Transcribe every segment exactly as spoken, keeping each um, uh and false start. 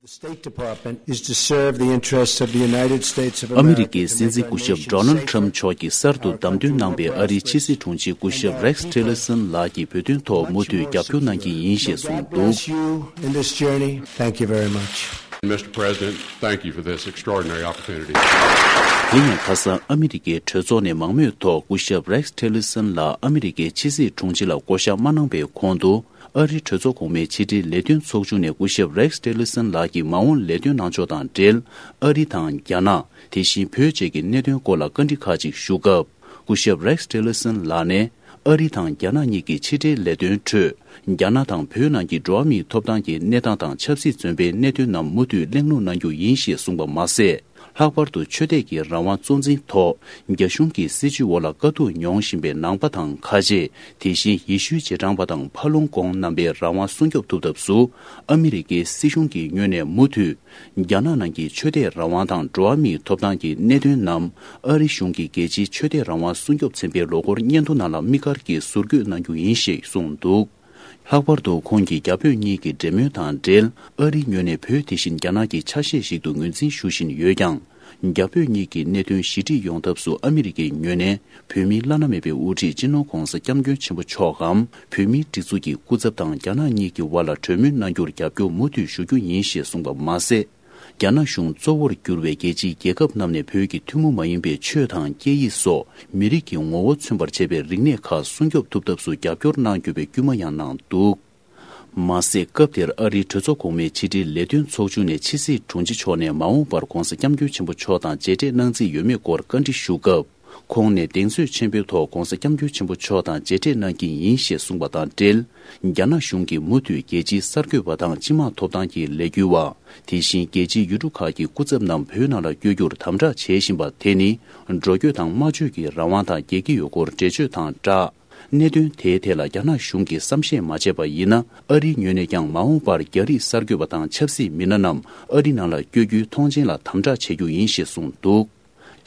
State Department is to serve the interests of the United States of America. ཨ་མི་རི་ཀའི་སྲིད་འཛིན་སྐུ་ཞབས་ཌོ་ནལ་ཊམ་མཆོག་གིས་གསར་དུ་བདམས་ཐོན་གནང་པའི་ཨ་རིའི་ཕྱི་སྲིད་དྲུང་ཆེ་སྐུ་ཞབས་རེག་སི་ཊི་ལར་སན་ལགས་ཀྱི་བོད་དོན་ཐོག་མུ་མཐུད་རྒྱབ་སྐྱོར་གནང་གི་ཡིན་ཞེས་གསུངས་འདུག། Bless you in this journey. Thank you very much. Mister President, thank you for this extraordinary opportunity. དེ་ཡང་ཁ་སང་ཨ་མི་རི་ཀའི་གྲོས་ཚོགས་ནས་མང་མོས་ཐོག་སྐུ་ཞབས་རེག་སི་ཊི་ལར་སན་ལགས་ཨ་མི་རི་ཀའི་ཕྱི་སྲིད་དྲུང་ཆེ་ལ་བསྐོ་གཞག་མ་གནང་པའི་གོང་དུ། ཨ་རིའི་གྲོས་ཚོགས་གོང་མའི་ཕྱི་དྲིལ་ལས་དོན་ཚོགས་ཆུང་ནས་སྐུ་ཞབས་རེག་སི་ཊི་ལར་སན་ལགས་ཀྱི་མ་འོངས་ལས་དོན་གནང་ཕྱོགས་དང་འབྲེལ། ཨ་རི་དང་རྒྱ་ནག་དེ་བཞིན་བོད་བཅས་ཀྱི་གནད་དོན་སྐོར་ལ་བཀའ་འདྲི་ཁག་ཅིག་ཞུ་སྐབས། སྐུ་ཞབས་རེག་སི་ཊི་ལར་སན་ལགས་ནས། ཨ་རི་དང་རྒྱ་ནག་གཉིས་ཀྱི་ཕྱི་འབྲེལ་ལས་དོན་ཁྲོད། རྒྱ་ནག་དང་བོད་ནང་གི་འགྲོ་བ་མིའི་ཐོབ་ཐང་གི་གནས་སྟངས་དང་ཆབ་སྲིད་བཙོན་པའི་གནད་དོན་རྣམས་མུ་མཐུད་གླེང་སློང་གནང་རྒྱུ་ཡིན་ཞེས་གསུངས་པ་མ་ཟད། ལྷག་པར་དུ་ཆོས་དད་ཀྱི་རང་དབང་གཙོ་འཛིན་ཐོག་རྒྱ་གཞུང་གི་སྲིད་བྱུས་འོག་ལ་དཀའ་སྡུག་མྱོང་བཞིན་པའི་ནང་པ་དང་ཁ་ཆེ། དེ་བཞིན་ཡེ་ཤུའི་རྗེས་འབྲང་པ་དང་ཕ་ལུང་གོང་རྣམ་པའི་རང་དབང་སྲུང་སྐྱོབ་ཐུབ་ཐབས་སུ། ཨ་མི་རི་ཀའི་སྲིད་གཞུང་གི་ངོས་ནས་མུ་མཐུད། རྒྱ་ནག་ནང་གི་ཆོས་དད་རང་དབང་དང་འགྲོ་བ་མིའི་ཐོབ་ཐང་གི་གནད་དོན་རྣམས། ཨ་རི་གཞུང་གིས་རྒྱལ་སྤྱིའི་ཆོས་དད་རང་དབང་སྲུང་སྐྱོབ་ཚན་པའི་ལོ་འཁོར་སྙན་ཐོ་ནང་ལ་དམིགས་བཀར་གྱིས་ཟུར་འགོད་གནང་རྒྱུ་ཡིན་ཞེས་གསུངས་འདུག། ལྷག་པར་དུ་ཁོང་གིས་རྒྱ་བོད་གཉིས་ཀྱི་འབྲེལ་མོལ་དང་འབྲེལ། ཨ་རིའི་ངོས་ནས་བོད་དེ་བཞིན་རྒྱ་ནག་གི་ཆ་ཤས་ཤིག་ཏུ་ངོས་འཛིན་ཞུ་བཞིན་ཡོད་ཀྱང་། རྒྱ་བོད་གཉིས་ཀྱི་གནད་དོན་ཞི་འགྲིག་ཡོང་ཐབས་སུ་ཨ་མི་རི་ཀའི་ངོས་ནས་བོད་མིའི་བླ་ན་མེད་པའི་དབུ་ཁྲིད་སྤྱི་ནོར་༧གོང་ས་༧སྐྱབས་མགོན་ཆེན་པོ་མཆོག་གམ། བོད་མིའི་སྒྲིག་འཛུགས་ཀྱི་སྐུ་ཚབ་དང་རྒྱ་ནག་གཉིས་ཀྱི་དབར་ལ་གྲོས་མོལ་གནང་རྒྱུར་རྒྱབ་སྐྱོར་མུ་མཐུད་ཞུ་རྒྱུ་ཡིན་ཞེས་གསུངས་པ་མ་ཟད། རྒྱ་ནག་གཞུང་གཙོ་བོར་གྱུར་བའི་རྒྱལ་སྤྱིའི་རྒྱལ་ཁབ་རྣམས་ནས་བོད་ཀྱི་ཐུན་མོང་མ་ཡིན་པའི་ཆོས་དང་སྐད་ཡིག་སོགས་མི་རིགས་ཀྱི་ངོ་བོ་མཚོན་པར་བྱེད་པའི་རིག་གནས་ཁག་སྲུང་སྐྱོབ་ཐུབ་ཐབས་སུ་རྒྱབ་སྐྱོར་གནང་རྒྱུ་བའི་སྐུལ་མ་ཡང་གནང་འདུག། མ་ཟད། སྐབས་དེར་ཨ་རིའི་གྲོས་ཚོགས་གོང་མའི་ཕྱི་དྲིལ་ལས་དོན་ཚོགས་ཆུང་ནས་ཕྱི་སྲིད་དྲུང་ཆེ་མཆོག་ནས་མ་འོངས་པར་༧གོང་ས་༧སྐྱབས་མགོན་ཆེན་པོ་མཆོག་དང་མཇལ་འཕྲད་གནང་རྩིས་ཡོད་མེད་སྐོར་བཀའ་འདྲི་ཞུ་སྐབས། ཁོང་ནས་གདེང་ཚོད་ཆེན་པོའི་ཐོག་༧གོང་ས་༧སྐྱབས་མགོན་ཆེན་པོ་མཆོག་དང་མཇལ་འཕྲད་གནང་གི་ཡིན་ཞེས་གསུངས་པ་དང་འབྲེལ། རྒྱ་ནག་གཞུང་གིས་མུ་མཐུད་རྒྱལ་སྤྱིའི་གསར་འགོད་པ་དང་སྤྱི་དམངས་ཐོབ་ཐང་གི་ལས་འགུལ་བ། དེ་བཞིན་རྒྱལ་སྤྱིའི་ཡུལ་གྲུ་ཁག་གི་སྐུ་ཚབ་རྣམས་བོད་ནང་ལ་བསྐྱོད་རྒྱུར་དམ་དྲག་བྱེད་བཞིན་པ་དེ་ནི། འགྲོ་སྐྱོད་དང་སྨྲ་བརྗོད་ཀྱི་རང་དབང་དང་རྒྱལ་ཁེ་ཡོད་སྐོར་འགྲེལ་བརྗོད་དང་སྦྲགས། གནད་དོན་དེའི་ཐད་ལ་རྒྱ་ནག་གཞུང་གིས་བསམ་ཤེས་མ་བྱས་པ་ཡིན་ན། ཨ་རིའི་ངོས་ནས་ཀྱང་མ་འོངས་པར་རྒྱ་རིགས་གསར་འགོད་པ་དང་ཆབ་སྲིད་མི་སྣ་རྣམས་ཨ་རི་ནང་ལ་བསྐྱོད་རྒྱུའི་མཐོང་མཆན་ལ་དམ་དྲག་བྱེད་རྒྱུ་ཡིན་ཞེས་གསུངས་འདུག།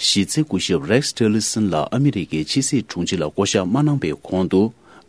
གཞི་རྩའི་སྐུ་ཞབས་རེག་སི་ཊི་ལར་སན་ལགས་ཨ་མི་རི་ཀའི་ཕྱི་སྲིད་དྲུང་ཆེ་ལ་བསྐོ་གཞག་མ་གནང་པའི་གོང་དུ།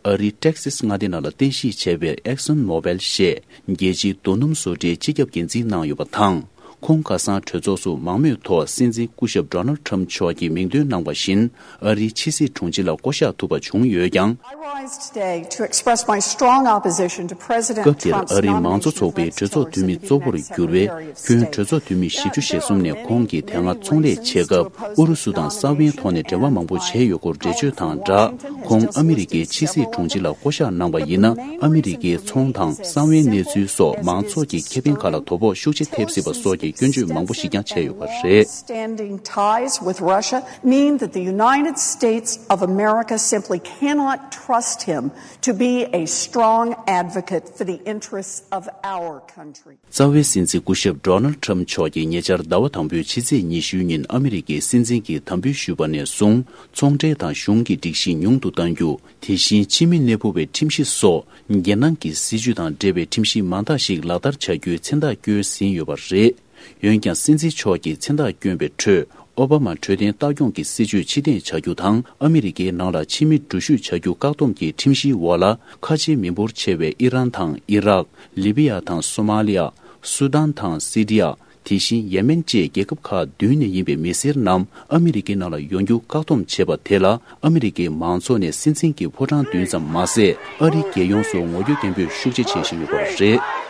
ཨ་རིའི་ཊེག་སིས་མངའ་སྡེ་ནང་ལ་རྟེན་གཞི་བྱས་པའི་ཨེག་སོན་མོ་བེལ་ཞེས་རྒྱལ་སྤྱིའི་རྡོ་སྣུམ་བཟོ་གྲྭའི་སྤྱི་ཁྱབ་འགན་འཛིན་གནང་ཡོད་པ་དང་། ཁོང་ཁ་སང་གྲོས་ཚོགས་སུ་མང་མོས་ཐོག་སྲིད་འཛིན་སྐུ་ཞབས་ཌོ་ནལ་ཊམ་མཆོག་གིས་མིང་འདོན་གནང་བ་བཞིན། ཨ་རིའི་ཕྱི་སྲིད་དྲུང་ཆེ་ལ་བསྐོ་གཞག་ཐུབ་པ་བྱུང་ཡོད་ཀྱང་། I rise today to express my strong opposition to President སྐབས་དེར་Trump's ཨ་རིའི་མང་གཙོ་ཚོགས་པའི་གྲོས་ཚོགས་འཐུས་མི་གཙོ་བོར་གྱུར་བའི་ཁྱོན་གྲོས་ཚོགས་འཐུས་མི་བཞི་བཅུ་ཞེ་གསུམ་ནས་ཁོང་གིས་དེ་སྔ་ཚོང་ལས་བྱེད་སྐབས་ཨུ་རུ་སུ་དང་གསང་བའི་ཐོག་ནས་འབྲེལ་བ་མང་པོ་བྱས་ཡོད་སྐོར་འགྲེལ་བརྗོད་དང་སྦྲགས། ཁོང་ཨ་མི་རི་ཀའི་ཕྱི་སྲིད་དྲུང་ཆེ་ལ་བསྐོ་གཞག་གནང་བ་ཡིན་ན། ཨ་མི་རི་ཀའི་ཚོང་དང་གསང་བའི་གནས་ཚུལ་སོགས་མང་ཚོགས་ཀྱི་ཁེ་ཕན་ཁག་ལ་དོ་ཕོག་ཤུགས་ཆེ་ཐེབས་སྲིད་པ་སོགས་ཀྱི་སྐྱོན་བརྗོད་མང་པོ་ཞིག་ཀྱང་བྱས་ཡོད་པ་རེད། Standing ties with Russia mean that the United States of America simply cannot trust him to be a strong advocate for the interests of our country. རྩ་བའི་སྲིད་འཛིན་སྐུ་ཞབས་ཌོ་ནལ་ཊམ་མཆོག་གིས་ཉེ་ཆར་ཟླ་བ་དང་པོའི་ཕྱི་ཚེས་ཉི་ཤུའི་ཉིན་ཨ་མི་རི་ཀའི་སྲིད་འཛིན་གྱི་དམ་འབུལ་ཞུས་པ་ནས་བཟུང་ཚོང་འབྲེལ་དང་གཞུང་གི་སྒྲིག་གཞི་ཉུང་དུ་གཏང་རྒྱུ། དེ་བཞིན་ཕྱི་མི་གནས་སྤོ་བའི་ཁྲིམས་གཞི་སོགས་རྒྱལ་ནང་གི་སྲིད་ཇུས་དང་འབྲེལ་བའི་ཁྲིམས་གཞི་མང་དག་ཞིག་ལག་བསྟར་བྱ་རྒྱུའི་མཚན་རྟགས་བསྐྱོན་ཟིན་ཡོད་པ་རེད། འོན་ཀྱང་སྲིད་འཛིན་མཆོག་གིས་མཚན་རྟགས་བསྐྱོན་པའི་ཁྲོད། ཨོ་བྷ་མ་འཕྲོད་བསྟེན་ལྟ་སྐྱོང་གི་སྲིད་ཇུས་ཕྱིར་འཐེན་བྱ་རྒྱུ་དང་། ཨ་མི་རི་ཀའི་ནང་ལ་ཕྱི་མི་འགྲུལ་བཞུད་བྱ་རྒྱུ་བཀག་སྡོམ་གྱི་ཁྲིམས་གཞིའི་འོག་ལ། ཁ་ཆེའི་མི་འབོར་ཆེ་བའི་ཨི་རན་དང་ཨི་རག་ལི་བི་ཡ་དང་སོ་མ་ལི་ཡ། སུ་དཱན་དང་སི་རི་ཡ། དེ་བཞིན་ཡེ་མེན་བཅས་རྒྱལ་ཁབ་ཁག་བདུན་ནས་ཡིན་པའི་མི་སེར་རྣམས་ཨ་མི་རི་ཀའི་ནང་ལ་ཡོང་རྒྱུ་བཀག་སྡོམ་བྱས་པ་དེ་ལ། ཨ་མི་རི་ཀའི་མང་ཚོགས་ནས་སྲིད་འཛིན་གྱི་ཕོ་བྲང་མདུན་ཙམ་མ་ཟད། ཨ་རིའི་རྒྱལ་ཡོངས་སུ་ངོ་རྒོལ་སྐད་འབོད་ཤུགས་ཆེ་བྱེད་བཞིན་ཡོད་པ་རེད།